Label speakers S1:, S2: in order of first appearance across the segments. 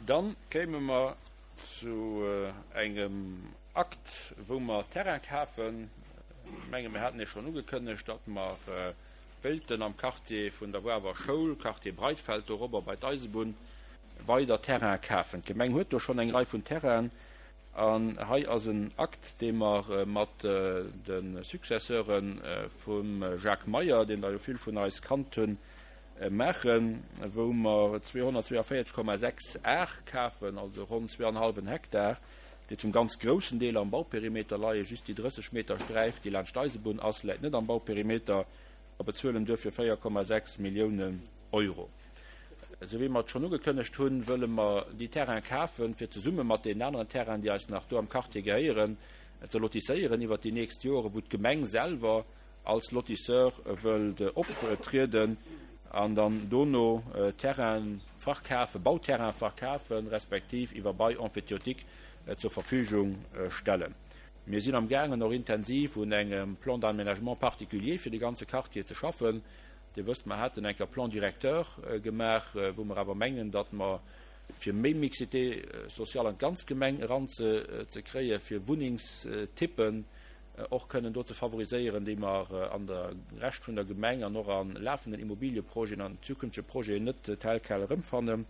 S1: Dann kéime mer zu engem Akt, wou mer Terrain kafen. Ech menge mir haten Iech schonn ugekënnegt, datt mer wéilten am Quartier vun der Wawer Schoul, Quartier Breitfeld, dorobber bei d'Eisebunn, weider Terrain kafen. D'Gemeng huet do schonn eng Rei vun Terrainen an hei ass en Akt, dee mer mat de Successeure vum Jacques Meyer, deen der jo vill vun eis kannt hunn, maachen, wou mer 242,6 Ar kafen, also ronn zweeanhallwen Hektar, déi zum ganz groussen Deel am Bauperimeter leien. Just déi 30 Meter Sträif, déi laanscht d'Eisebunn ass, läit net am Bauperimeter a bezuelen duerfir 4,6 Milliounen Euro. Esou wéi mer et schonn ugekënnegt hunn, wëlle mer déi Terraine kafen, fir zesumme mat deenen aneren Terrainen, déi eis nach do am Quartier gehéieren, ze lotisséieren iwwert déi nächst Joren, wou d'Gemeng selwer als Lotisseur wëllt optrieden an dann dono Terraine verkafen, Bauterraine verkafen, respektiv iwwer Bail emphytéotique zur Verfügung stellen. Mir sinn am gaangen och intensiv un engem Plan d'aménagement particulier fir de ganze Quartier ze schaffen. Dir wësst, mer haten eng Kéier Plan directeur gemaach, wou mer awer mengen, datt mer, fir méi Mixité sociale an d'ganz Gemeng eranzekréien, fir Wunnengstypen och kënnen do ze favoriséieren, déi mer an der Rescht vun der Gemeng an och a lafenden Immobilieprojeten an zukünftege Projeten net tel quel erëmfannen,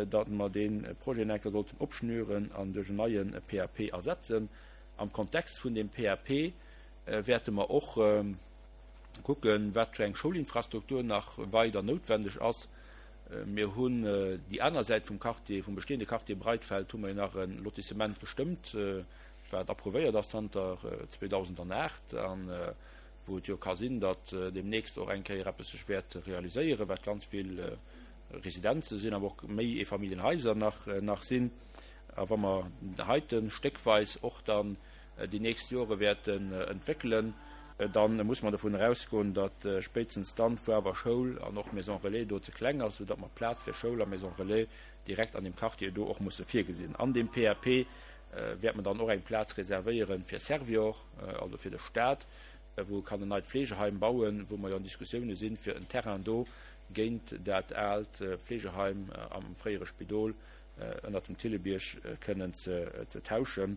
S1: datt mer dee Projet eng Kéier sollten opschnüren an duerch en neie PAP ersetzen. Am Kontext vun deem PAP wäerte mer och kucken, wat fir eng Schoulinfrastruktur nach weider noutwendeg ass. Mir hunn déi aner Säit vum Quartier, vum bestehende Quartier Breitfeld, hu mer jo nach e Lotissement gestëmmt, wat approuvéiert ass zanter 2008 a wou et jo ka sinn, datt deemnächst och eng Kéier eppes sech wäert realiséieren, wat ganz vill Residenze sinn, awer och méi Eefamilljenhaiser nach nach sinn. A wa mer heite stéckweis och dann déi nächst Jore wäerten entwéckelen, da muss mer dovun erausgoen, datt spéitstens dann d'Wawer Schoul an och d'Maison Relais do ze kleng ass, soudatt mer Plaz fir Schoul a Maison Relais direkt an deem Quartier do och musse virgesinn. An deem PAP wäert mer dann och eng Plaz reservéiere fir Servior, also fir de Stat, wou e kann en neit Fleegeheim bauen, wou mer jo an Diskussioune sinn, fir en Terrain do géint dat aalt Fleegeheim am fréiere Spidol ënnert dem Thillebierg kënnen ze tauschen,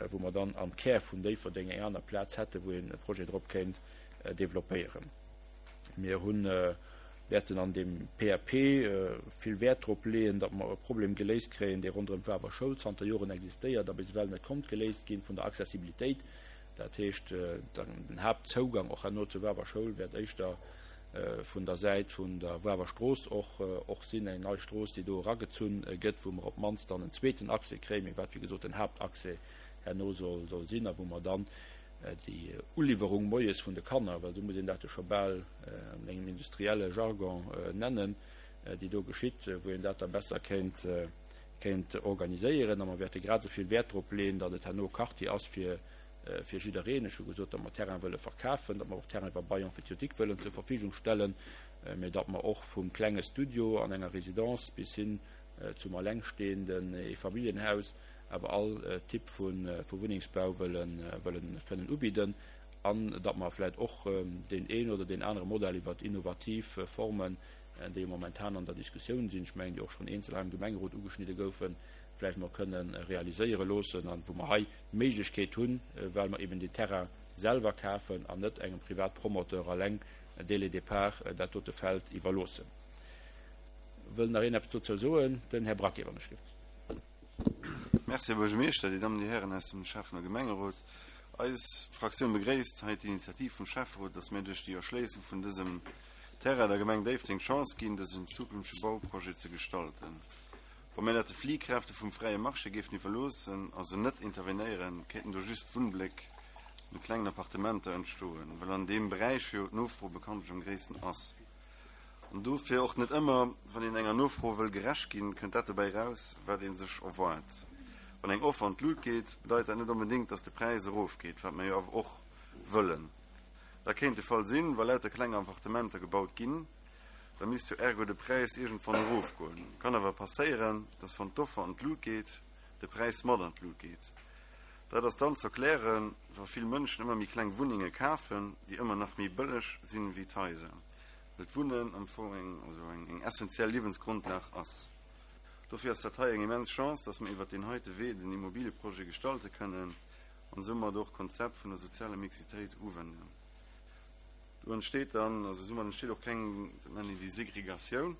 S1: wou mer dann am Kär vun Déifferdeng eng aner Plaz hätten, wou een e Projet drop kéint developpéieren. Mir hunn, wäerten an deem PAP vill Wäert drop leeën, datt mer e Problem geléist kréien, dee ronderëm d'Wawer Schoul zanter Joren existéiert a bis ewell net konnt geléist ginn, vun der Accessibilitéit. Dat heescht, den Haaptzougang och herno zur Wawer Schoul wäert éischter vun der Säit vun der Wawer Strooss och och sinn, eng nei Strooss, déi do eragezunn gëtt, wou mer op d'mannst dann en zweeten Accès kréien, mee wat wéi gesot den Haaptaccès herno soll soll sinn a wou mer dann déi Uliwwerung moies vun de Kanner, well esou muss een dat jo scho bal an engem industrielle Jargon nennen, déi do geschitt, wou een dat da besser kéint kéint organiséieren. A mer wäerte grad esou vill Wäert drop leeën, datt et herno Quartier ass fir fir jiddereen. Ech hu gesot, datt mer Terrain wëlle verkafen, datt mer och Terrain iwwer Bail emphytéotique wëllen zur Verfügung stellen, mä datt mer och vum klenge Studio an enger Résidence bis hin zum allengstehenden Eefamilljenhaus awer all Typ vu Wunnengsbau wëllen kënnen ubidden an datt mer vläicht och deen een oder deen anere Modell iwwer innovativ Formen, déi jo momentan an der Diskussioun sinn, ech mengen, déi och schonn eenzel hei am Gemengerot ugeschnidde goufen, vläicht mol kënne realiséiere loossen an wou mer hei d'Méiglechkeet hunn, well mer eben deen Terrain selwer kafen an net engem Privatpromoteur alleng dès le départ dat dote Feld iwwerloossen. Wëll nach een eppes dozou soen? Den Här Braquet, wann ech gelift.
S2: Merci, Här Buergermeeschter, Dir Dammen, Dir Hären aus dem Schäffen a Gemengerot. Eis Fraktioun begréisst hei d'Initiativ vum Schäfferot, dass mir duerch déi Erschléissung vun dësem Terrain der Gemeng Déifferdeng d'Chance ginn, dësen zukünftege Bauprojet ze gestalten. Wa mir dat de Fliehkräfte vum fräie Marché géifen iwwerloossen, also net intervenéieren, kéinten do just Wunnbléck mat klengen Appartementer entstoen, well an deem Beräich jo d'Nofro bekanntlech am gréissten ass. An dofir och net ëmmer, wann een enger Nofro wëll gerecht ginn, kënnt dat dobäi eraus, wat ee sech erwaart. Wann eng Offer an d'Lut geet, bedeit dat net onbedéngt, datt de Präis erofgeet, wat mer jo awer och wëllen. Dat kéint de Fall sinn, wa lauter kleng Appartementer gebaut ginn. Da misst jo ergo de Präis iergendwann erofgoen. Kann awer passéieren, dass wann d'Offer an d'Lut geet, de Präis mat an d'Lut geet. Dat ass dann z'erklären, wa vill Mënschen ëmmer méi kleng Wunnenge kafen, déi ëmmer nach méi bëlleg sinn wéi d'Haiser, well d'Wunnen am Fong eng, also eng, eng essentiell Liewensgrondlag ass. Dofir ass dat hei eng immens Chance, dass mer iwwert deen heite Wee den Immobilieprojet gestalte kënnen an soumat och d'Konzept vun der sozialer Mixitéit uwenden. Do entsteet dann, also soumat entsteet och keng, dat nennen een déi Segregatioun,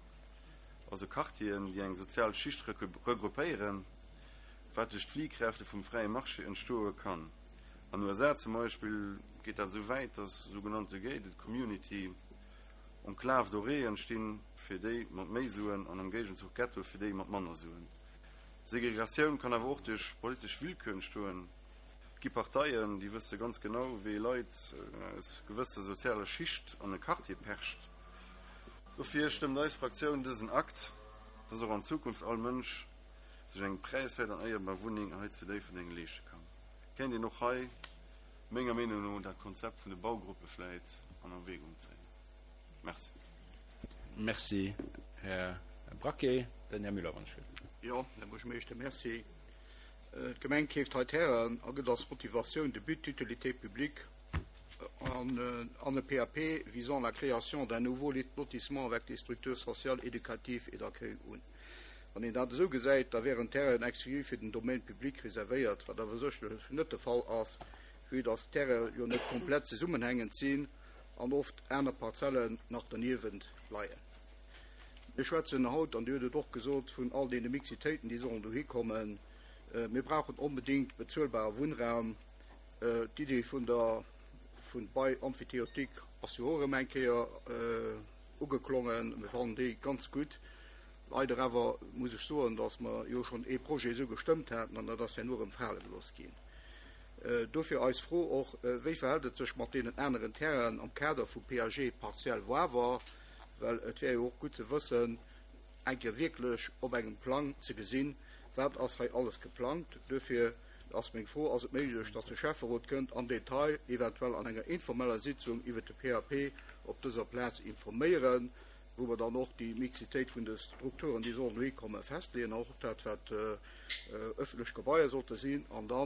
S2: also Quartieren, déi eng sozial Schicht regroupéieren, wat duerch d'Fliehkräfte vum fräie Marché entstoe kann. An USA zum Beispill geet dat esou wäit, dass sougenannte gated community Enclaves dorées entstinn fir déi mat méi Suen an am Géigenzuch Ghettoe fir déi mat manner Suen. Segregatioun kann awer och duerch politesch Willkür entstoen. Et gi Parteien, déi wësse ganz genau, wéi ee Leit aus gewësser sozialer Schicht an e Quartier percht. Dofir stëmmt eis Fraktioun dësen Akt, dass och an Zukunft all Mënsch sech eng präiswäert an éierbar Wunneng hei zu Déifferdeng leeschte kann. Kéint een och hei menger Meenung no dat Konzept vun de Baugruppe vläit an Erwägung zéien. Merci.
S1: Merci, Här Braquet. Den Här Müller, wann ech wëll.
S3: Jo, Här Buergermeeschter, merci. D'Gemeng keeft hei Terrainen a gëtt als Motivatioun de But d'utilité publique an an e PAP visant la création d'un nouveau lotissement avec des structures sociales, éducatives et d'accueil un. Wann een dat esou gesäit, da wären Terrainen exklusiv fir den Domaine public reservéiert, wat awer sécherlech net de Fall ass, vue dass d'Terrainen jo net komplett zesummenhängend sinn an oft aner Parzellen nach derniewent leien. Mir schwätzen haut, an Dir hutt et och gesot, vun all deene Mixitéiten, déi sollen dohi kommen. Mir brauchen onbedéngt bezuelbare Wunnraum. D'Idee vun der vun Bail emphytéotique ass jo och erëm eng Kéier ugeklongen. Mir fannen déi ganz gutt. Leider awer muss ech soen, dass mer jo schonn ee Projet esou gestëmmt haten an dat ass herno erëm fale gelooss ginn. Dofir eis Fro och, Wéi verhält et sech mat deenen aneren Terrainen am Kader vum PAG Parzell Wawer? Well et wär jo och gutt ze wëssen, eng Kéier wierklech op engem Plang ze gesinn, wat ass hei alles geplangt. Duerfir ass meng Fro, Ass et méiglech, dass de Schäfferot kënnt am Detail, eventuell an enger informeller Sitzung, iwwert de PAP op dëser Plaz informéieren? wou mer dann och déi Mixitéit vun de Strukturen, déi sollen dohi kommen, festleeën, och dat, wat öffentlech Gebaier sollte sinn, an da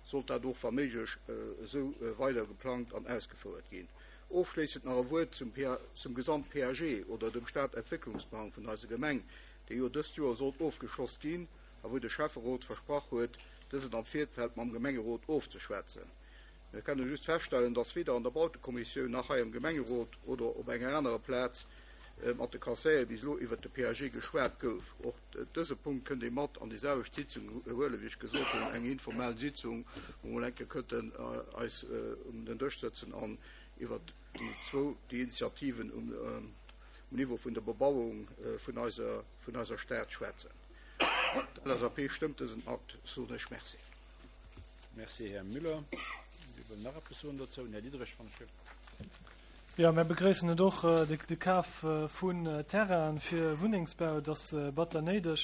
S3: sollt dat och wa méiglech esou weider geplangt an ausgefouert ginn. Ofschléissend nach e Wuert zum zum Gesamt-PAG oder dem Stadentwécklungsplang vun eiser Gemeng, dee jo dëst Joer sollt ofgeschloss ginn a wou de Schäfferot versprach huet, dësen am Virfeld mam Gemengerot ofzeschwätzen. Mir kenne just feststellen, dass weder an der Bautekommissioun nach hei am Gemengerot oder op enger anerer Plaz mat de Conseillere bis elo iwwert de PAG geschwat gouf. Och dëse Punkt kënnt ee mat an déi selwecht Sitzung huelen, wéi ech gesot hunn, eng informell Sitzung, wou mer mol eng Kéier kënnten eis um den Dësch sëtzen an iwwert déi zwou, déi Initiativen um Niveau vun der Bebauung vun eiser, vun eiser Stad schwätzen. D'LSAP stëmmt dësen Akt, soen ech. Merci.
S1: Merci, Här Müller. Wie wëll nach eppes soen dozou? Den Här Diderich, wann ech gëff.
S4: Jo, mär begréissen et och, de Kaf vun Terrainen fir Wunnengsbau, et ass batter néideg.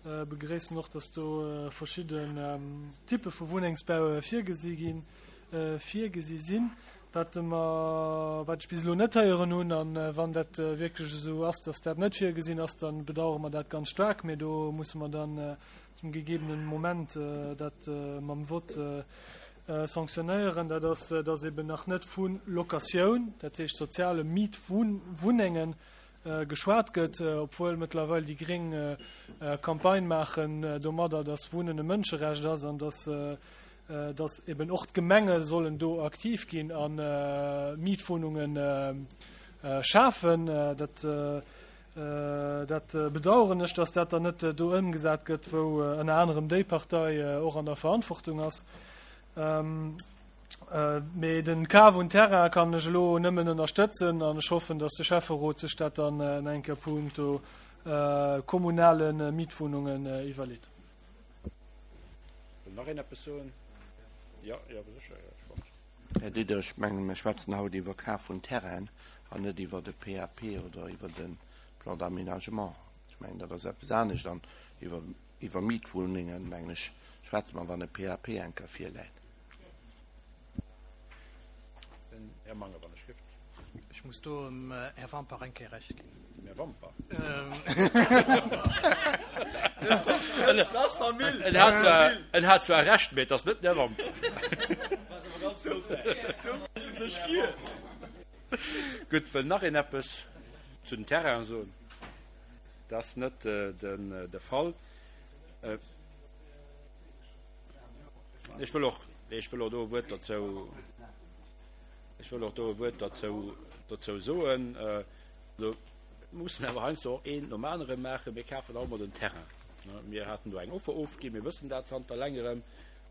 S4: Begréissen och, dass do verschidden Typpe vu Wunnengsbau virgesi ginn, virgesi sinn. Wat mer, wat ech bis elo net héieren hunn, an wann dat wierklech esou ass, dass dat net virgesinn ass, da bedauere mer dat ganz staark. Mee do musse mer dann zum gegebenen Moment dat mam Vott sanctionnéieren, dat ass, dass eben nach net vu Locatioun, dat heescht soziale Mietwunnengen, geschwat gëtt, obwuel mëttlerweil déi Gréng Campagne maachen domadder, dass Wunnen e Mënscherecht ass an dass, dass eben och d'Gemenge sollen do aktiv ginn a Mietwohnunge schafen. Dat Dat bedaueren ech, dass dat dann net do ëmgesat gëtt, wou ënner anerem déi Partei och an der Verantwortung ass. Mee den Kaf un Terrain kann ech elo nëmmen ënnerstëtzen an ech hoffen, dass de Schäfferot sech dat dann eng Kéier punkto kommunale Mietwohnungen iwwerleet.
S1: Wëll nach een eppes soen? Jo, jo, sécher, Här Schwarz.
S5: Här Diderich, ech mengen, mir schwätzen haut iwwer Kaf vun Terrainen an net iwwer e PAP oder iwwer e Plan d'aménagement. Ech mengen, dat ass eppes anescht. An iwwer, iwwer Mietwunnengen, mengen ech, schwätze mer, wann e PAP eng Kéier virläit.
S1: Den Här Manger, wann ech gëft.
S6: Ech muss do dem Här Wampach eng Kéier Recht ginn.
S1: Dem Här Wampach? En hat zwar Recht, mee et ass net den Här Wampach. Gutt, wëll nach een eppes zu den Terrainen soen? Dat ass net de Fall. Ech wëll och, ech wëll och do e Wuert dozou, ech wëll och do e Wuert dozou, dozou soen. Also, mir mussen awer heiansdo och eent nom anere maachen. Mir kafen alt emol den Terrain. Mir haten do eng Offer ofginn, mir wëssen dat zanter längerem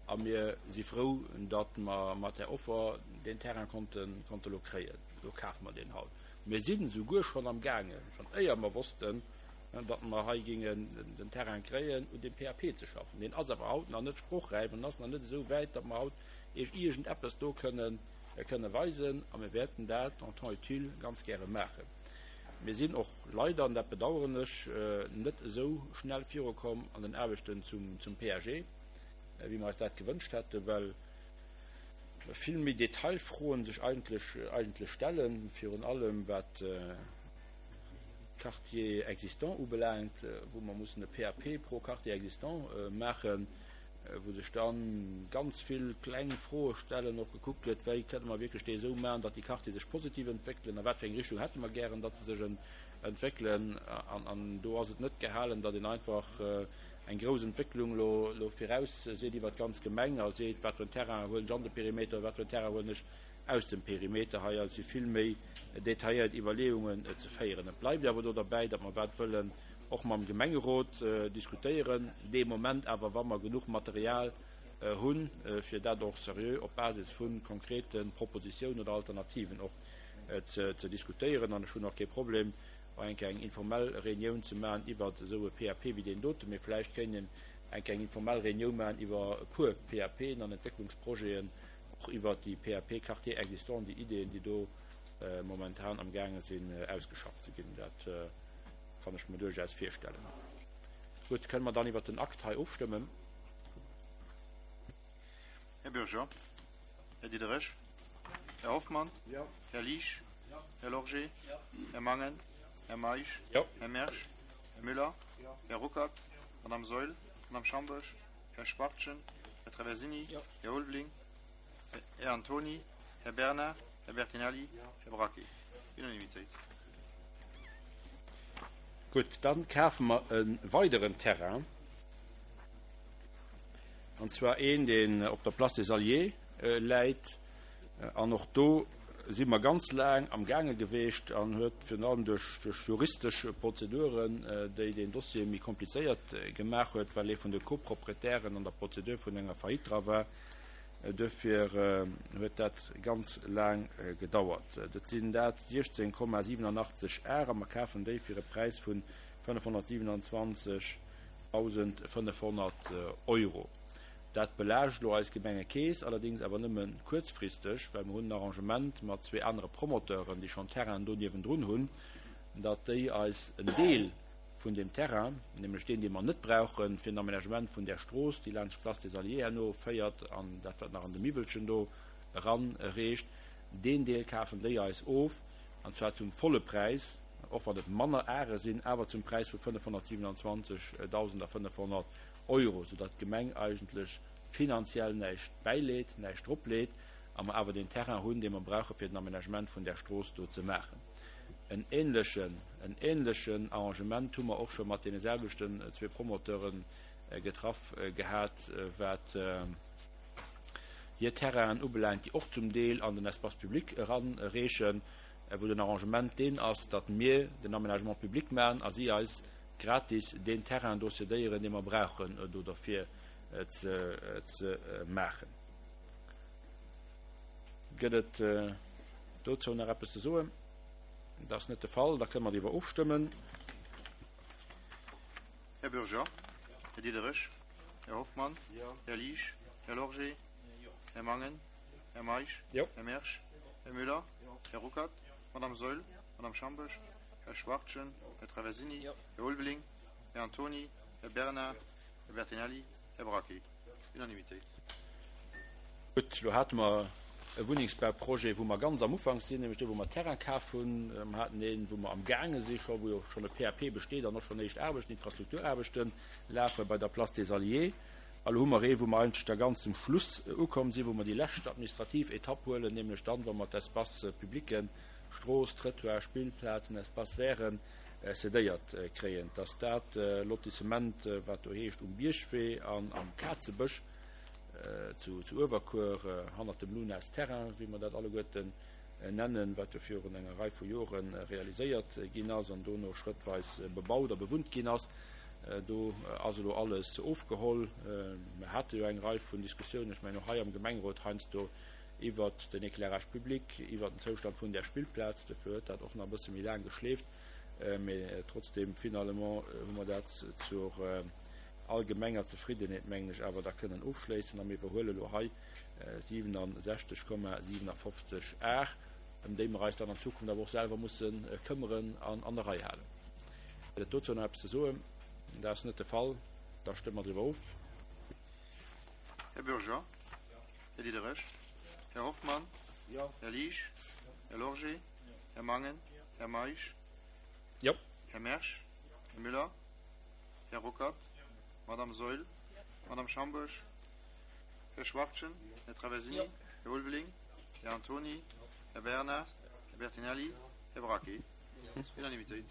S1: a mir si frou, datt mer mat där Offer deen Terrain konnten, konnte lo kréien. Lo kafe mer deen haut. Mir sinn esouguer schonn am gaangen, schonn éier mer wossten, datt mer hei géingen den Terrain kréien, un deem PAP ze schaffen. Deen ass awer haut nach net sprochräif an ass nach net esou wäit, datt mer haut Iech iergendeppes do kënnen, kënne weisen. A mir wäerten dat en temps utile ganz gäre maachen. Mir sinn och leider, an dat bedauern ech, net esou schnell virukomm an den Aarbechten zum, zum PAG, wéi mer eis dat gewënscht hätten, well vill méi Detailfroen sech eigentlech, eigentlech stellen, virun allem wat d'Quartiers existants ubelaangt, wou mer mussen e PAP pro Quartier existant maachen, wou sech da ganz vill kleng Froe stellen, och gekuckt gëtt, wéi kënne mer wierklech déi esou maachen, datt déi Quartiere sech positiv entwéckelen, a wat fir eng Richtung hätte mer gären, datt se sech entwéckelen. An do ass et net gehalen, datt een einfach eng grouss Entwécklung elo virausseet iwwert d'ganz Gemeng a seet, wat fir en Terrain huelen ech an de Perimeter, wat fir en Terrain huelen ech aus dem Perimeter. Hei si vill méi detailléiert Iwwerleeungen ze féieren. Et bleift awer do derbäi, datt mer wat wëllen och mam Gemengerot diskutéieren, dee Moment awer, wa mer genuch Material hunn, fir dat och seriö op Basis vu konkrete Propositiounen oder Alternativen och ze diskutéieren. An ech hunn och kee Problem, och eng Kéier eng informell Reunioun ze maachen iwwert esou e PAP wéi deen doten, mee vläicht kéint een eng Kéier eng informell Reunioun maachen iwwer e puer PAPen an Entwécklungsprojeten, och iwwert déi PAP Quartiers existants, déi Ideeën, déi do momentan amgaange sinn ausgeschafft ze ginn. Dat kann ech mer duerchaus virstellen. Gutt, kënne mer dann iwwert den Akt hei ofstëmmen?
S2: Här Bürger, Här Diderich, Här Hoffmann, Här Liesch, Här Lorgé, Här Mangen, Här Meisch, Här Mersch, Här Müller, Här Ruckert, Madame Saeul, Madame Schamboesch, Här Schwachtgen, Här Traversini, Här Ulveling, Här Antony, Här Bernard, Här Bertinelli, Här Braquet. Unanimitéit.
S1: Gutt, dann kafe mer e weideren Terrain, an zwar een, deen op der Place des Alliés läit. An och do si mer ganz laang amgaange geweecht an huet virun allem duerch juristesch Prozeduren, déi deen Dossier méi komplizéiert gemaach huet, well ee vun de Copropriétairen an der Prozedur vun enger Faillite dra war, Duerfir huet dat ganz laang gedauert. Dat sinn dat 16,87 Ar a mer kafen déi fir e Präis vu 527.500 Euro. Dat belaascht elo eis Gemengekeess, allerdéngs awer nëmme kuerzfristeg, well mer hunn en Arrangement mat zwee anere Promoteuren, déi schonn Terrainen do niewendrun hunn, datt déi eis en Deel vun deem Terrain, nämlech deen, dee mer net brauchen, fir den Aménagement vun där Strooss, déi laanscht d'Place des Alliés herno féiert an dat, wat nach an de Miwwelchen do eranreecht, deen Deel kafen déi eis of, an zwar zum volle Präis, och wann et manner Are sinn, awer zum Präis vu 527.500 Euro, soudatt d'Gemeng eigentlech finanziell näischt bäileet, näischt dropleet a mer awer deen Terrain hunn, dee mer brauche fir den Aménagement vun där Strooss do ze maachen. En ähnlechen, en ähnlechen Arrangement hu mer och scho mat deene selwechten zwee Promoteure getraff gehat, wat hir Terrainen ubelaangt, déi och zum Deel an den Espace public eranreechen, wou den Arrangement deen ass, datt mir den Aménagement public maachen a si eis gratis deen Terrain do cédéieren, dee mer brauchen do derfir ze maachen. Gëtt et dozou nach eppes ze soen? Dat ass net de Fall. Da kënne mer driwwer ofstëmmen.
S2: Här Bürger, Här Diderich, Här Hoffmann, Här Liesch, Här Lorgé, Här Mangen, Här Meisch, Här Mersch, Här Müller, Här Ruckert, Madame Saeul, Madame Schamboesch, Här Schwachtgen, Här Traversini, Här Ulveling, Här Antony, Här Bernard, Här Bertinelli, Här Braquet. Unanimitéit.
S1: Gutt, elo hate mer e Wunnengsbauprojet, wou mer ganz am Ufank sinn, nämlech dee wou mer Terrain kaf hunn. Mer haten een, wou mer amgaange si scho, wou jo schonn e PAP besteet an och schonn éischt Aarbechten, Infrastrukturaarbechte lafe bei der Place des Alliés. A lo hu mer ee, wou mer eigentlech da ganz zum Schluss ukomm sinn, wou mer déi lescht administrativ Etapp huelen, nämlech dann, wa mer d'Espaces publics, Strooss, Trëttoir, Spillplazen, Espaces verts. Cédéiert kréien. Et ass dat Lotissement, wat do heescht Um Biergwee an am Kazebësch zu Uewerkuer, hannert dem Lunas Terrain, wéi mer dat alleguerten nennen, wat jo virun enger Rei vu Jore realiséiert ginn ass an dono schrëttweis bebaut a bewunnt ginn ass. Do ass elo alles ofgeholl. Mer hate jo eng Rei vun Diskussiounen, ech mengen och hei am Gemengerot heiansdo, iwwert den Éclairage public, iwwert den Zoustand vun där Spillplaz. Dofir huet dat och nach e bësse méi laang geschleeft. Mee trotzdem, finalement hu mer dat zur allgemenger Zefriddenheet, mengen ech, awer da kënnen ofschléissen. A mir iwwerhuele elo hei 67,57 Ar, ëm déi mer eis dann an Zukunft awer och selwer musse këmmeren an an der Rei halen. Gëtt et dozou nach eppes ze soen? Dat ass net de Fall. Da stëmme mer driwwer of.
S2: Här Bürger? Här Diderich? Här Hoffmann? Här Liesch? Här Lorgé? Här Mangen? Här Meisch? Här Mersch? Här Müller? Här Ruckert? Madame Saeul? Madame Schambourg? Här Schwachtgen? Här Traversini? Här Ulveling? Här Antony? Här Bernard? Här Bertinelli? Här Braquet? Unanimitéit.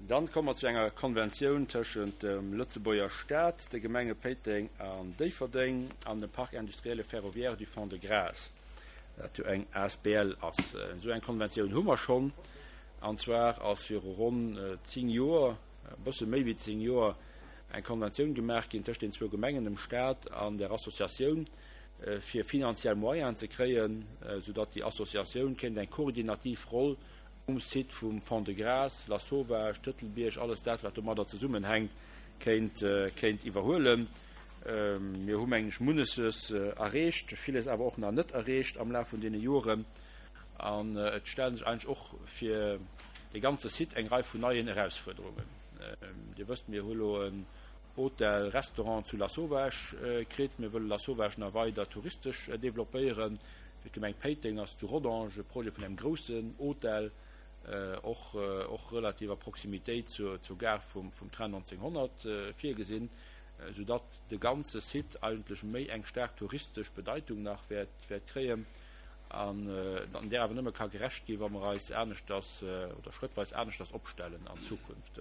S1: Dann komme mer zu enger Konventioun tëschent dem Lëtzebuerger Staat, de Gemenge Péiteng an Déifferdeng an dem Parc industriel et ferroviaire du Fond-de-Gras, dat jo eng asbl ass. Esou eng Konventioun hu mer schonn, an zwar ass viru ronn 10 Joer, e bësse méi wéi 10 Joer, eng Konventioun gemaach ginn tëscht den zwou Gemengen, dem Staat an der Associatioun, fir finanziell Moyenen ze kréien, soudatt déi Associatioun kéint eng koordinativ Roll um Site vum Fond-de-Gras, Lasauvage, Tëtelbierg, alles dat, wat domadder zesummenhänkt, kéint, kéint iwwerhuelen. Mir hu, mengen ech, munneches erreecht, villes awer och nach net erreecht am Laf vun deene Joren. An et stelle sech eigentlech och fir dee ganze Site eng Rei vun neien Erausfuerderungen. Dir wësst, mir hu lo en Hotel, Restaurant zu Lasauvage kritt. Mir wëlle Lasauvage nach weider touristesch developpéieren. Fir d'Gemeng Péiteng ass zu Rodange e Projet vun engem groussen Hotel, och och relativ a Proximitéit zur zur Gare vum vum Train 1900 virgesinn, soudatt de ganze Site eigentlech méi eng staark touristesch Bedeitung nach wäert wäert kréien an an där awer nëmme ka gerecht ginn, wa mer eis aneschters oder schrëttweis aneschters opstellen an Zukunft.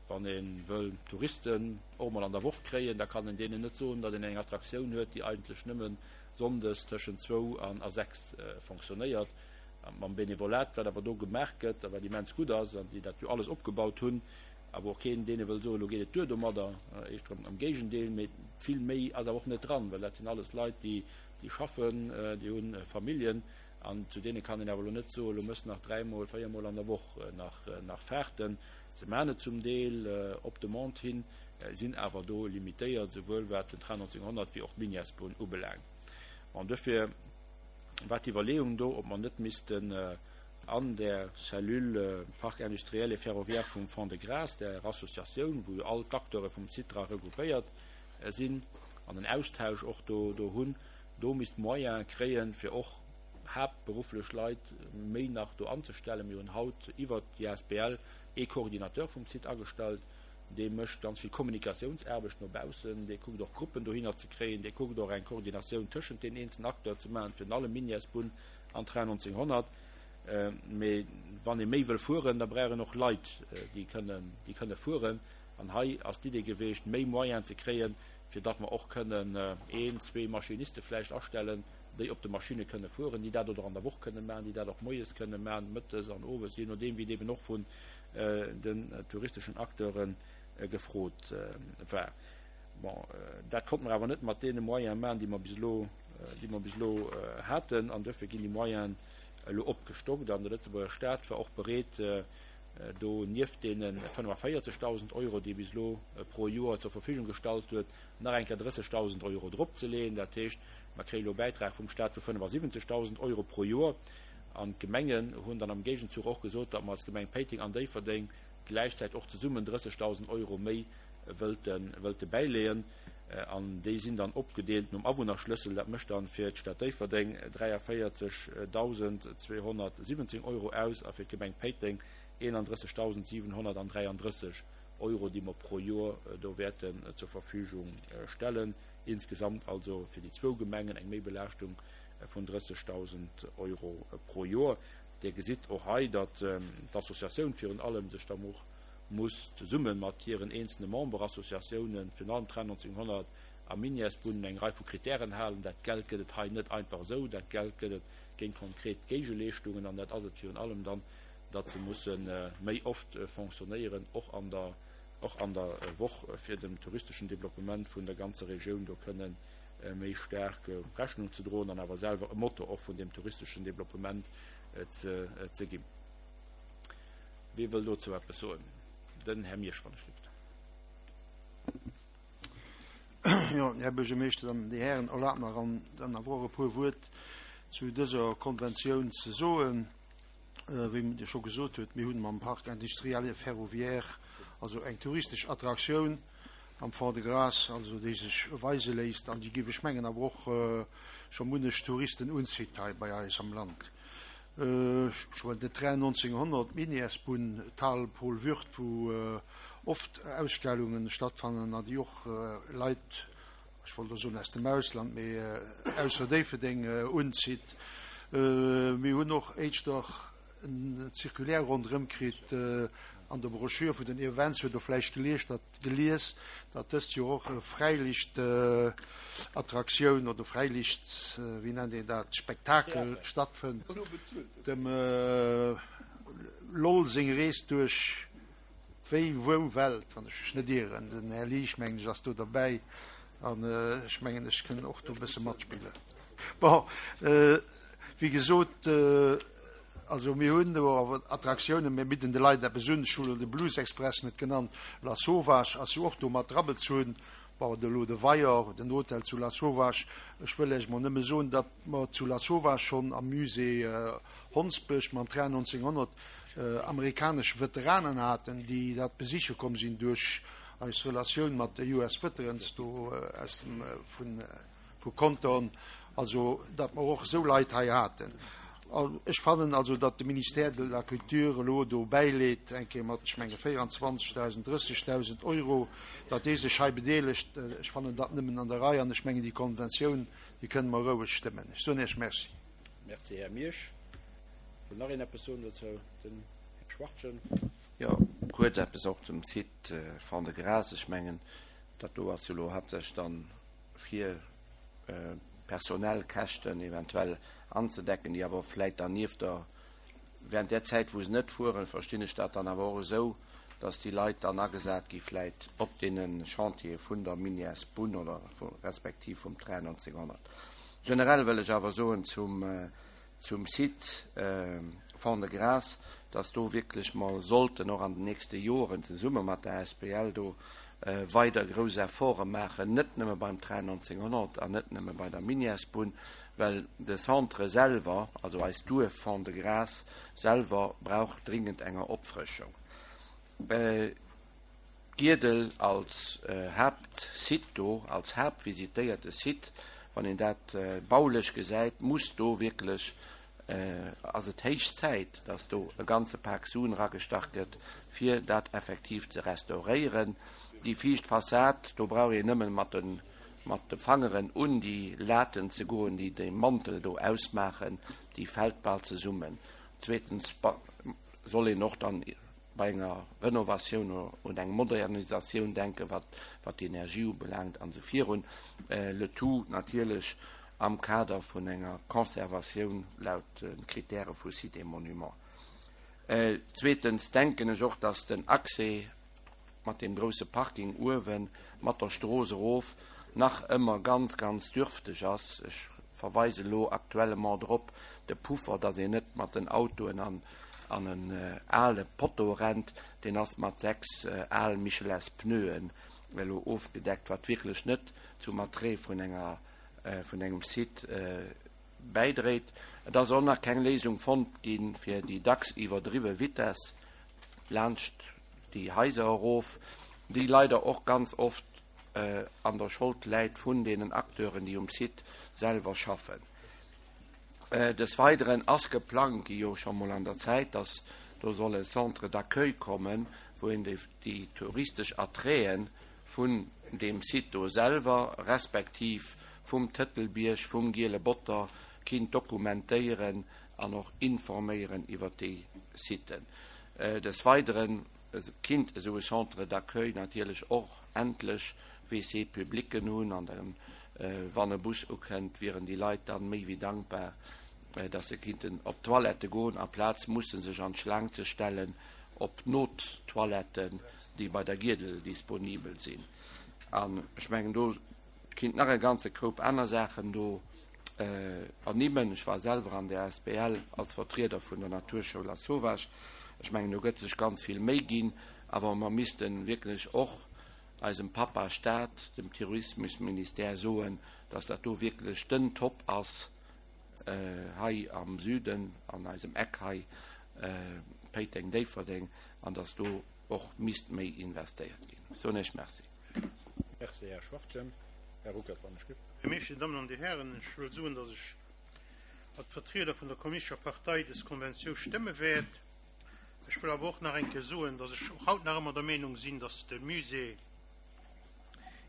S1: Wann ee wëll Touristen och emol an der Woch kréien, da kann een deenen net soen, datt een eng Attraktioun huet, déi eigentlech nëmme sonndes tëschent zwou an a 6 fonctionnéiert. Mam Benevolat, wat awer do gemaach gëtt a wat immens gutt ass an déi dat jo alles opgebaut hunn, a wou och keen deene wëll soen, elo geet et duer domadder, éischter am Géigendeel, mee vill méi ass awer och net dran, well dat sinn alles Leit, déi schaffen, déi hu Familljen an zu deene kann een awer elo net soen, elo mëss nach dräimol, véiermol an der Woch nach Fahrten. Se maachen et zum Deel op Demande hin, sinn awer do limitéiert, esouwuel wat den Train 1900 wéi och d'Miniasbunn ubelaangt. An duerfir war d'Iwwerleeung do, ob mer net missten an där Cellule Parc industriel et ferroviaire vum Fond-de-Gras, där Associatioun, wou jo all d'Acteure vum Site dra regroupéiert sinn an en Austausch och do hunn, do misst Moyene kréien, fir och haaptberufflech Leit méi nach do anzestellen. Mir hunn haut iwwert déi asbl ee Coordinateur vum Site agestallt, dee mécht ganz vill Kommunikatiounsaarbecht no baussen, dee kuckt och Gruppen dohinner ze kréien, dee kuckt och eng Koordinatioun tëschent den eenzelen Acteuren ze maachen, virun allem Minièresbunn an Train 1900. Mee wann ee méi wëll fueren, da brauch een och Leit, déi kënnen, déi kënne fueren. An hei ass d'Idee geweecht, méi Moyenen ze kréien, fir datt mer och kënnen een, zwee Maschiniste vläicht astellen, déi op de Maschinne kënne fueren, déi dat oder an der Woch kënne maachen, déi dat och moies kënne maachen, mëttes an owes, jee nodeem wéi et eben och vun den touristeschen Acteure gefrot war. Bon, dat konnte mer awer net mat deene Moyene maachen, déi mer bis elo, déi mer bis elo haten, an duerfir ginn déi Moyenen elo opgestockt. An de Lëtzebuerger Stat war och bereet, do nieft deene 45.000 Euro, déi e bis elo pro Joer zur Verfügung gestallt huet, nach eng Kéier 30.000 Euro dropzeleeën. Dat heescht, mer kréie elo e Bäitrag vum Stat vu 75.000 Euro pro Joer. An d'Gemengen hunn dann am Géigenzuch och gesot, datt mer als Gemeng Péiteng an Déifferdeng gläichzäiteg och zesummen 30.000 Euro méi wëllte bäileeën. An déi sinn dann opgedeelt nom Awunnerschlëssel. Dat mécht dann fir d'Stad Déifferdeng 43.217 Euro aus a fir d'Gemeng Péiteng 31.733 Euro, déi mer pro Joer do wäerten zur Verfügung stellen. Insgesamt also fir déi zwou Gemengen eng Méibelaaschtung vun 30.000 Euro pro Joer. Dir gesitt och hei, datt d'Associatioun virun allem sech da och muss zesumme mat hiren eenzelne Memberassociatiounen, virun allem Train 1900 a Minièresbunn, eng Rei vu Kritären halen. Dat Geld gëtt et hei net einfach esou, dat Geld gëtt et géint konkret Géigeleeschtungen an dat ass et virun allem dann, datt se musse méi oft fonctionnéieren, och an der, och an der Woch, fir dem touristeschen Développement vun der ganzer Regioun do kënnen méi staark Rechnung ze droen an awer selwer e Motor och vun deem touristeschen Développement ze, ze ginn. Wie wëll dozou eppes soen? Den Här Miersch, wann ech lift.
S7: Jo, Här Buergermeeschter, dann déi Hären, erlaabt mer an dann awer och e puer Wuert zu dëser Konventioun ze soen. Wéi Dir scho gesot hutt, mir hunn mam Parc industriel et ferroviaire also eng touristesch Attraktioun am Fond-de-Gras, also déi sech weise léisst an déi, géif ech mengen, awer och scho munnech Touristen unzitt hei bei eis am Land. Ech huelen den Train 1900, d'Minièresbunn, d'Hal Paul Würth, wou oft Ausstellungen stattfannen an déi och Leit, ech wollt elo soen aus dem Ausland, mee ausser Déifferdeng unzitt. Mir hunn och éischter en Circulaire ronderëm kritt an der Broschür vun den Events, huet Der vläicht gelies, datt gelies, datt dëst Joer och e Fräiliichtattraktioun oder Fräiliicht, wéi nennt een dat, Spektakel stattfënnt, dem Lol seng Rees duerch wéi wou Welt, wann ech mech net ieren. Den Här Liesch, mengen ech, ass do derbäi an ech mengen, ech kënn och do e bësse matspillen. Bon, wéi gesot, also mir hunn do awer Attraktiounen, mir bidden de Leit eppes un. Ech hu elo de Blues Express net genannt, Lasauvage ass jo och do mat drabezunn. Bon, elo de Weier, den Hotel zu Lasauvage. Ech wëll lech mol nëmme soen, datt mer zu Lasauvage schonn am Musée Hondsbësch mam Train 1900 amerikanesch Veteranen haten, déi dat besiche komm sinn duerch eis Relatioun mat de US Veterans do aus dem, vun, vu Compton, also datt mer och esou Leit hei haten. Ech fannen also, datt de Ministère de la Culture elo do bäileet, eng Kéier mat, ech menge 24.000, 30.000 Euro, datt dee sech hei bedeelegt. Ech fannen dat nëmmen an der Rei an ech mengen déi Konventioun, déi kënne mer roueg stëmmen. Ech soen Iech Merci.
S1: Merci, Här Miersch. Wëll nach een eppes soen dozou? Den Här Schwachtgen.
S5: Jo, kuerz eppes och zum Site Fond-de-Gras. Ech mengen, dat do ass jo elo haaptsächlech dann fir personell Käschten eventuell anzedecken, déi awer vläit dann nieft der, während där Zäit wou se net fueren, verstinn ech dat dann awer och esou, dass déi Leit dann agesat gi vläit op deene Chantiere vun der Minièresbunn oder respektiv vum Train 1900. Generell wëll ech awer soen zum zum Site Fond-de-Gras, dass do wierklech mer sollten och an den nächste Joren zesumme mat der asbl do weider grouss Efforte maachen, net nëmme beim Train 1900 an net nëmme bei der Minièresbunn, well de Centre selwer, also eist Duerf Fond-de-Gras selwer brauch dringend enger Opfrëschung. Giedel als Haaptsite do, als haaptvisitéierte Site, wann een dat baulech gesäit, muss do wierklech, ass et héich Zäit, datt do e ganze Pak Suen eragestach gëtt, fir dat effektiv ze restauréieren. Déi viischt Fassad, do brauch een nëmmen mat de mat de Fangeren un déi Laten ze goen, déi de Mantel do ausmaachen, déi fält bal zesummen. Zweetens soll een och dann bei enger Renovatioun un eng Modernisatioun denken, wat wat d'Energie ubelaangt an esou virun, le tout natierlech am Kader vun enger Conservatioun laut de Kritäre vu Sites et Monuments. Zweetens denken ech och, dass den Accès mat deem grousse Parking uewe mat der Strooss erof nach ëmmer ganz, ganz dürfteg ass. Ech verweise elo actuellement drop, de Puffer, dass een net mat den Autoen an an en ale Potto rennt, deen ass mat 6 al Michelins Pneuen elo ofgedeckt, wat wierklech net zum Attrait vun enger vun engem Site bäidréit. Et ass och nach keng Léisung fonnt gi fir déi dacks iwwerdriwwe Vitess laanscht déi Haiser erof, déi leider och ganz oft an der Schold läit vun deenen Acteuren, déi um Site selwer schaffen. Des Weideren ass geplangt gi, jo scho mol an der Zäit, dass do soll e Centre d'accueil kommen, wou een déi touristesch Attraiten vun deem Site do selwer, respektiv vum Tëtelbierg, vum Giele Botter kinnt dokumentéieren. an och informéieren iwwert déi Siten. Des Weidere kinnt esou e Centre d'accueil natierlech och endlech WC-publicen hunn an dann, wann e Bus ukënnt, wieren déi Leit dann méi wéi dankbar, dass se kinnten op d'Toilette goen, amplaz musse sech an d'Schlaang ze stellen op d'Nottoiletten, déi bei der Giedel disponibel sinn. An ech mengen, do kinnt nach e ganze Koup aner Saachen do ernimmen. Ech war selwer an der asbl als Vertrieder vun der Naturschoul Lasauvage. Ech mengen, do gëtt sech ganz vill Méi ginn, awer mer misste wierklech och eisem Pappa Staat, dem Tourismusministère soen, dass dat do wierklech den Top ass hei am Süden, an eisem Eck hei, Péiteng, Déifferdeng, an dass do och misst méi investéiert ginn. Ech soen Iech Merci.
S1: Merci, Här Schwachtgen. Här Ruckert, wann ech giff.
S8: Här Meesch, Dir Dammen an Dir Hären, ech wëll soen, dass ech als Vertrieder vun der Kommunistescher Partei des Konventiou stëmme wäert. Ech wëll awer och nach eng Kéier soen, dass ech och haut nach ëmmer der Meenung sinn, dass de Musée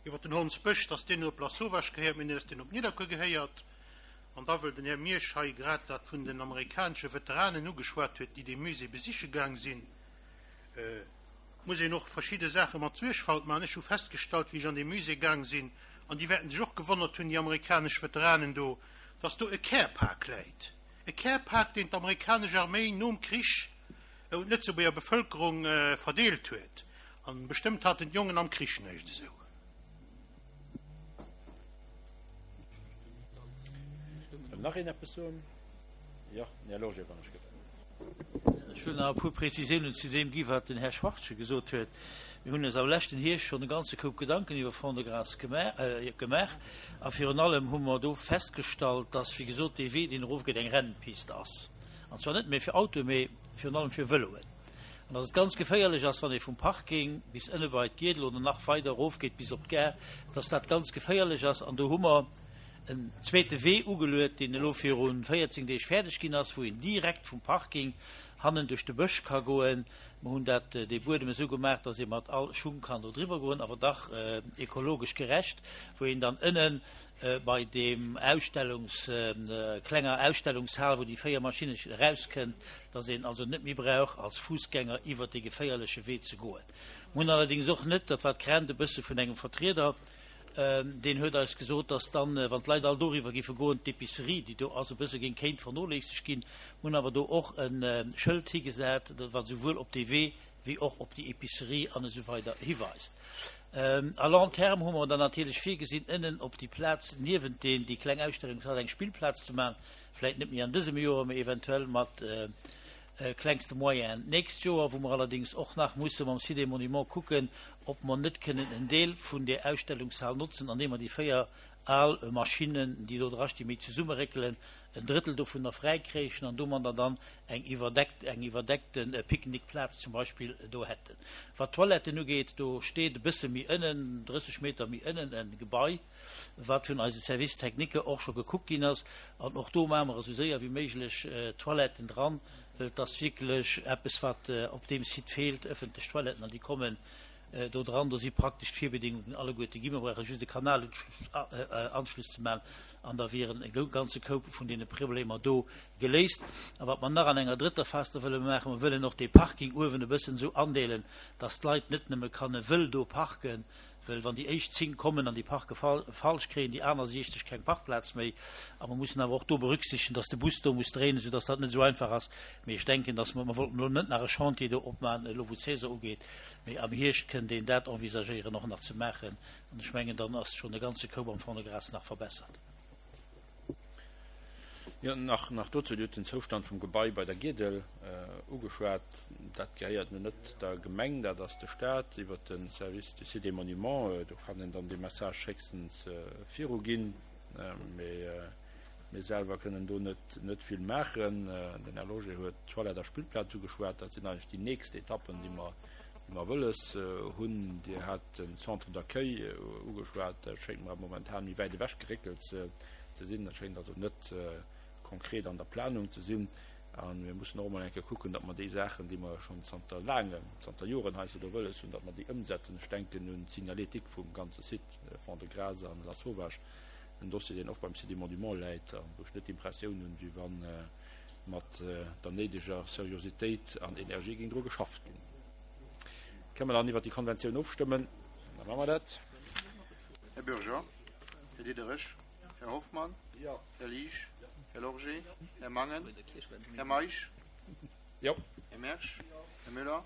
S8: iwwer den Hondsbësch, dass deen net op Lasauvage gehéiert, mee dass deen op Nidderkuer gehéiert. An da wëll den Här Miersch hei grad dat vun den amerikanesche Veteranen ugeschwat huet, déi dee Musée besiche gaang sinn, muss een och verschidde Saache mat Suergfalt maachen. Ech hu festgestallt, wéi ech an dee Musée gaang sinn, an déi wäerten sech och gewonnert hunn, déi amerikanesch Veteranen do, dass do e Care-Pak läit. E Care-Pak, deen d'amerikanesch Arméi nom Krich un d'Lëtzebuerger Bevëlkerung verdeelt huet. An bestëmmt haten d'Jongen am Krich näischt esou.
S1: Wëll nach een eppes soen? Jo, den Här Loger, wann ech gëtt.
S9: Ech wëll nach e puer Präzisiounen zu deem gi wat den Här Schwachtgen gesot huet. Mir hunn eis am leschten Hierscht schonn e ganze Koup Gedanken iwwer Fond-de-Gras gemaach a virun allem hu mer do festgestallt, dass, wéi gesot, dee Wee, deen erofgeet, eng Rennpist ass, an zwar net méi fir Autoen, mee virun allem fir Vëloen, an dass et ganz geféierlech ass, wann ee vum Parking bis ënne bei d'Giedel oder nach weider erofgeet bis op d'Gare, dass dat ganz geféierlech ass. An do hu mer en zweete Wee ugeluet, deen elo viru 14 Deeg fäerdeg ginn ass, wou een direkt vum Parking hannen duerch de Bësch ka goen. Mer hunn dat, dee Buedem esou gemaach, dass ee mat all Schung kann do driwwer goen, awer dach ekologesch gerecht, wou een dann ënne bei deem Ausstellungs, klenger Ausstellungshal, wou déi 4 Maschinne erauskënnt, dass een also net méi brauch als Fussgänger iwwert dee geféierleche Wee ze goen. Mer hunn allerdéngs och net, dat war d'Crainte e bësse vun engem Vertrieder, Deen huet eis gesot, dass dann, wann d'Leit all doriwwer géife goen, d'Epicerie, déi do ass, e bësse géing kéint vernoléissegt ginn. Mir hunn awer do och e Schëld higesat, wat esouwuel op dee Wee wéi och op déi Epicerie an esou weider hiweist. À long terme hu mer dann natierlech virgesinn, ënnen op déi Plaz niewent deen, déi kleng Ausstellungshal eng Spillplaz ze maachen, vläicht net méi an dësem Joer, mee eventuell mat klengste Moyenen d'nächst Joer, wou mer allerdéngs och nach musse mam Site des Monuments kucken, ob mer net kënnen en Deel vun där Ausstellungshal notzen, andeem mer déi 4 al Maschinnen, déi do drastinn, méi zesummeréckelen, en Drëttel dovunner fräikréichen an domadder dann eng iwwerdeckt, eng iwwerdeckte Picknickplaz zum Beispill do hätten. Wat d'Toiletten ugeet, do steet e bësse méi ënnen, 30 Meter méi ënnen, e Gebai, wat vun eise Service technique och scho gekuckt ginn ass, an och do maache mer esou séier wéi méiglech Toiletten dran, well et ass wierklech eppes, wat op deem Site feelt, ëffentlech Toiletten, an déi kommen do dran. Do si praktesch d'Virbedingungen alleguerte ginn. Mer brauche just e Kanalanschluss ze maachen, an da wieren e ganze Koup vun deene Problemer do geléist. A wat mer nach an enger drëtter Phas da wëlle maachen, mer wëllen och dee Parking uewen e bëssen esou andeelen, dass d'Leit net nëmme kanne wëll do parken, Well wann déi éischt 10 kommen an déi parke falsch, kréien déi aner 60 keng Parkplaz méi. A mer mussen awer och do berücksichtegen, dass de Bus do muss dréinen, soudass dat net esou einfach ass. Mee ech denken, dass mer, mer wollten elo net nach e Chantier do opmachen, elo wou d'Saison ugeet, mee am Hierscht kënnt een dat envisagéieren och nach ze maachen. An ech mengen, dann ass schonn e ganze Koup am Fond-de-Gras nach verbessert.
S1: Jo, nach, nach dozou, Dir hutt den Zoustand vum Gebai bei der Giedel ugeschwat. Dat gehéiert nun net der Gemeng, dat ass de Stat iwwert de Service du Site et Monuments. Do kann een dann dee Message héchstens viruginn, mee mir selwer kënnen do net, net vill maachen. Den Här Loger huet d'Toilette a Spillplaz ugeschwat. Dat sinn eigentlech déi nächst Etappen, déi mer, déi mer wëlles hunn. Dir hat den Centre d'accueil ugeschwat. Dat schéngt mer momentan méi wäit ewech geréckelt ze ze sinn. Dat schéngt also net konkret an der Planung ze sinn. A mir mussen och emol eng Kéier kucken, datt mer déi Saachen, déi mer schonn zanter laangem, zanter Joren heiansdo do wëlles hunn, datt mer déi ëmsetzen. Ech denken un d'Signalétique vum ganze Site Fond-de-Gras an Lasauvage, en Dossier, deen och beim Site des Monuments läit a wou ech net d'Impressioun hunn, wéi wann. mat der néideger Seriositéit an Energie géing dru geschafft ginn. Kënne mer dann iwwert déi Konventioun ofstëmmen? Da maache mer dat.
S3: Här Bürger, Här Diderich, Här Hoffmann, Här Liesch, Här Lorgé, Här Mangen, Här Meisch, Här Mersch, Här Müller,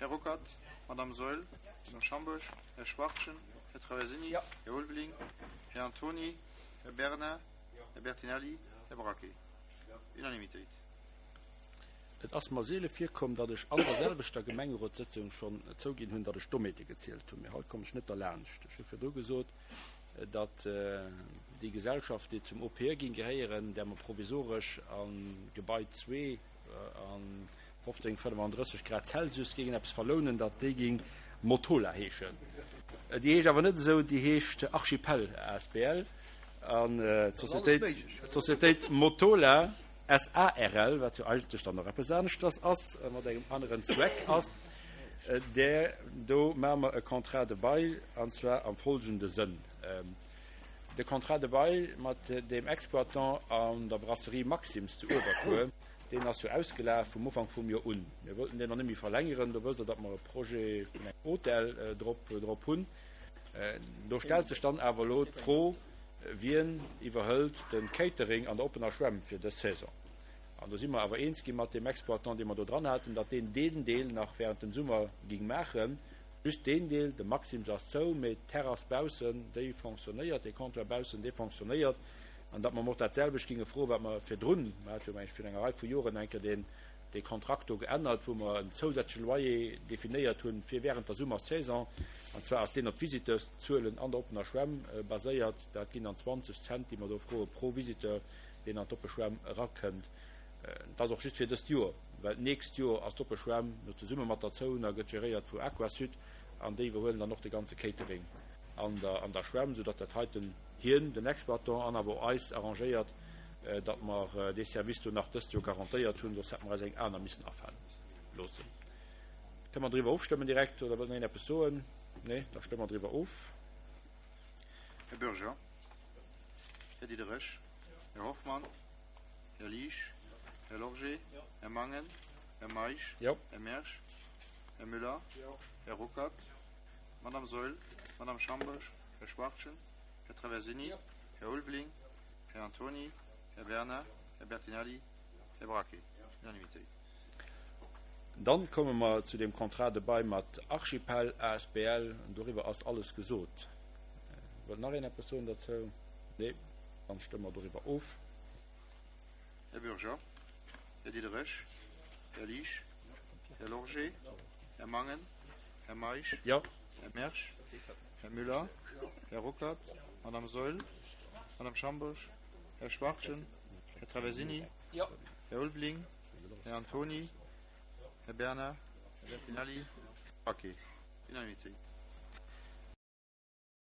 S3: Här Ruckert, Madame Saeul, Madame Schambourg, Här Schwachtgen, Här Traversini, Här Ulveling, Här Antony, Här Bernard, Här Bertinelli, Här Braquet. Unanimitéit.
S1: Et ass mer seele virkomm, datt ech an der selwechter Gemengerotssëtzung schonn zouginn hunn, datt ech Dommheete gezielt hunn. Mee haut komm ech net derlaanscht. Ech hu virdru gesot, datt déi Gesellschaft, déi zum OPE géing gehéieren, där mer provisoresch a Gebai zwee a 15,35 Grad Celsius géingen eppes verlounen, datt déi géing Motola heeschen. Déi heescht awer net esou, déi heescht Archipel asbl. An d'Societéit Motola SARL, wat jo eigentlech dann och eppes aneschters ass, mat engem aneren Zweck ass, där do maache mer e Contrat de bail, an zwar am folgende Sënn, De Contrat de bail mat deem Exploitant an der Brasserie Maxim's zu Uewerkuer, deen ass jo ausgelaf vum Ufank vum Joer un. Mir wollten deen och net méi verlängeren. Do wësst Der, datt mer e Projet vun engem Hotel drop hunn. Do stellt sech dann awer elo d'Fro, Wien iwwerhëlt de Catering an der oppener Schwämm fir dës Saison? An do si mer awer eens gi mat deem Exploitant, dee mer do dran haten, datt deen deen Deel nach während dem Summer ging maachen. Just deen Deel, de Maxim's ass zou, mee d'Terrass baussen, déi fonctionnéiert, dee Comptoir baussen, dee fonctionnéiert. An datt mer em och dat selwecht ginge froen, wat mer virdrun, mer hate jo, meng ech, virun enger Rei vu Joren eng Kéier deen, dee Kontrakt do geännert, wou mer en zousätzleche Loyer definéiert hunn fir während der Summersaison. An zwar ass deen op d'Visiteurszuelen an der oppener Schwämm baséiert. Dat ginn dann 20 Cent, déi mer do froe pro Visiteur, deen an d'oppe Schwämm erakënnt. Dat ass och just fir dëst Joer, well d'nächst Joer ass d'oppe Schwämm no zesumme mat der Zouner, gëtt geréiert vu Aquasud an déi iwwerhuelen dann och de ganze Catering an der an der Schwämm, soudatt dat heiten hien, den Exploitant an awer och eis arrangéiert, datt mer dee Service do nach dëst Joer garantéiert hunn, soss hätte mer eis eng aner missen afale loossen. Kënne mer driwwer ofstëmmen direkt oder wëllt nach een eppes soen? Nee, da stëmme mer driwwer of.
S3: Här Bürger, Här Diderich, Här Hoffmann, Här Liesch, Här Lorgé, Här Mangen, Här Meisch, Här Mersch, Här Müller, Här Ruckert, Madame Saeul, Madame Schambourg, Här Schwachtgen, Här Traversini, Här Ulveling, Här Antony, Här Bernard, Här Bertinelli, Här Braquet. Unanimitéit.
S1: Dann komme mer zu dem Contrat de bail mat Archipel asbl. Doriwwer ass alles gesot. Wëllt nach een eppes soen derzou? Nee? Dann stëmme mer doriwwer of.
S3: Här Bürger, Här Diderich, Här Liesch, Här Lorgé, Här Mangen, Här Meisch, Här Mersch, Här Müller, Här Ruckert, Madame Saeul, Madame Schambourg, Här Schwachtgen, Här Traversini, Här Ulveling, Här Antony, Här Bernard, Här Bertinelli, Här Braquet. Unanimitéit.